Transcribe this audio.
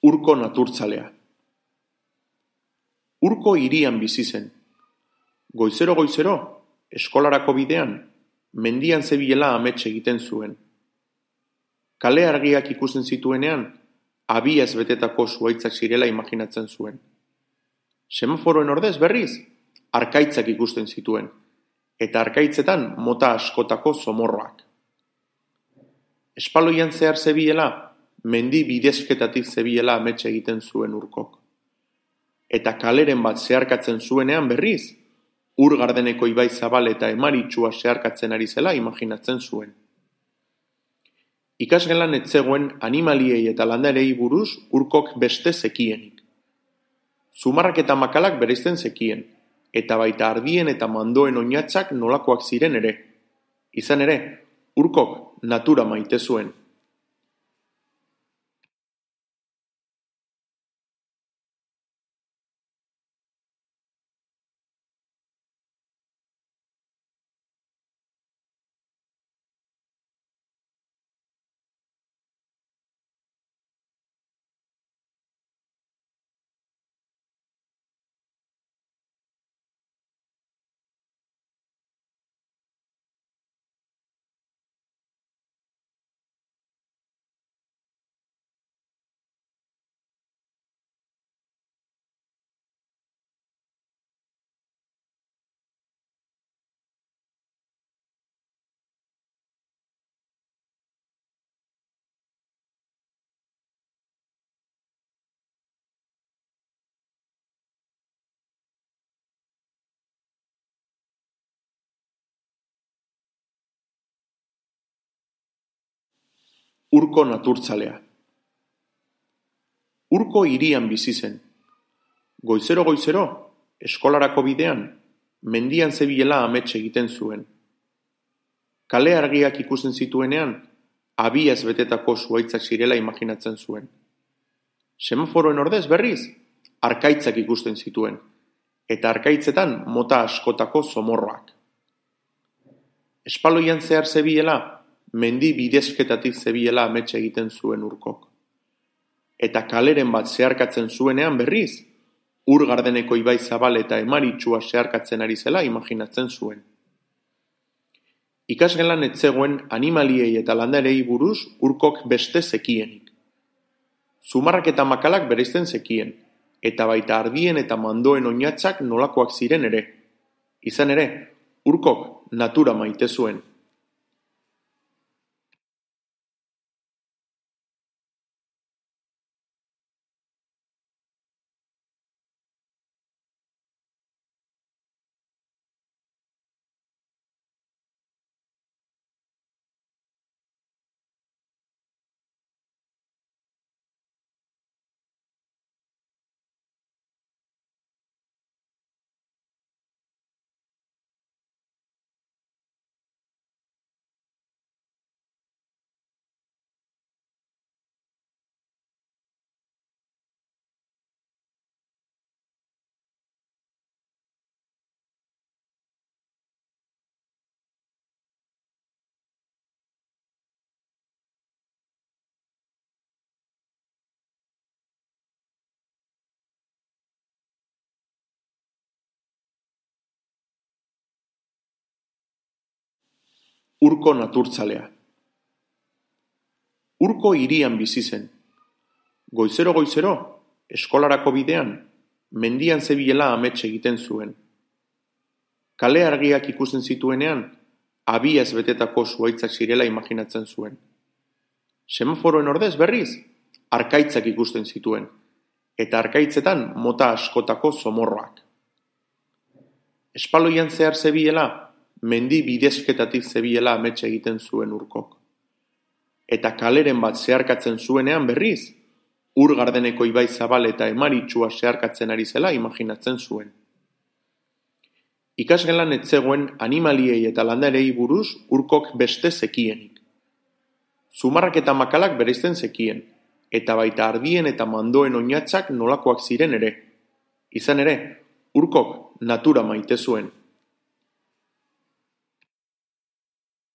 Urko naturtzalea. Urko hirian bizi zen. Goizero, eskolarako bidean, mendian zebilela amets egiten zuen. Kale argiak ikusten zituenean, abiaz betetako zuhaitzak zirela imaginatzen zuen. Semaforoen ordez berriz, arkaitzak ikusten zituen, eta arkaitzetan mota askotako zomorroak. Espaloian zehar zebilela, mendi bidezketatik zebilela amets egiten zuen Urkok. Eta kaleren bat zeharkatzen zuenean berriz, ur gardeneko ibai zabal eta emaritsua zeharkatzen ari zela imaginatzen zuen. Ikasgelan ez zegoen animaliei eta landarei buruz Urkok beste zekienik. Zumarrak eta makalak bereizten zekien, eta baita ardien eta mandoen oinatzak nolakoak ziren ere. Izan ere, Urkok natura maite zuen. Urko naturtzalea. Urko hirian bizi zen. Goizero, eskolarako bidean, mendian zebilela amets egiten zuen. Kale argiak ikusten zituenean, abiaz betetako zuhaitzak zirela imaginatzen zuen. Semaforoen ordez berriz, arkaitzak ikusten zituen, eta arkaitzetan mota askotako zomorroak. Espaloian zehar zebilela, mendi bidezketatik zebilela amets egiten zuen Urkok. Eta kaleren bat zeharkatzen zuenean berriz, ur gardeneko ibai zabal eta emaritsua zeharkatzen ari zela imaginatzen zuen. Ikasgelan ez zegoen animaliei eta landarei buruz Urkok beste zekienik. Zumarrak eta makalak bereizten zekien, eta baita ardien eta mandoen oinatzak nolakoak ziren ere. Izan ere, Urkok natura maite zuen. Urko naturtzalea. Urko hirian bizi zen. Goizero, eskolarako bidean, mendian zebilela amets egiten zuen. Kale argiak ikusten zituenean, abiaz betetako zuhaitzak zirela imaginatzen zuen. Semaforoen ordez berriz, arkaitzak ikusten zituen, eta baita ardien eta mandoen oinatzak nolakoak ziren ere. Izan ere, Urkok natura maite zuen. Urko naturtzalea. Urko hirian bizi zen. Goizero, eskolarako bidean, mendian zebilela amets egiten zuen. Kale argiak ikusten zituenean, abiaz betetako zuhaitzak zirela imaginatzen zuen. Semaforoen ordez berriz, arkaitzak ikusten zituen, eta arkaitzetan mota askotako zomorroak. Espaloian zehar zebilela, mendi bidezketatik zebilela amets egiten zuen Urkok. Eta kaleren bat zeharkatzen zuenean berriz, ur gardeneko ibai zabal eta emaritsua zeharkatzen ari zela imaginatzen zuen. Ikasgelan ez zegoen animaliei eta landarei buruz Urkok beste zekienik. Zumarrak eta makalak bereizten zekien, eta baita ardien eta mandoen oinatzak nolakoak ziren ere. Izan ere, Urkok natura maite zuen.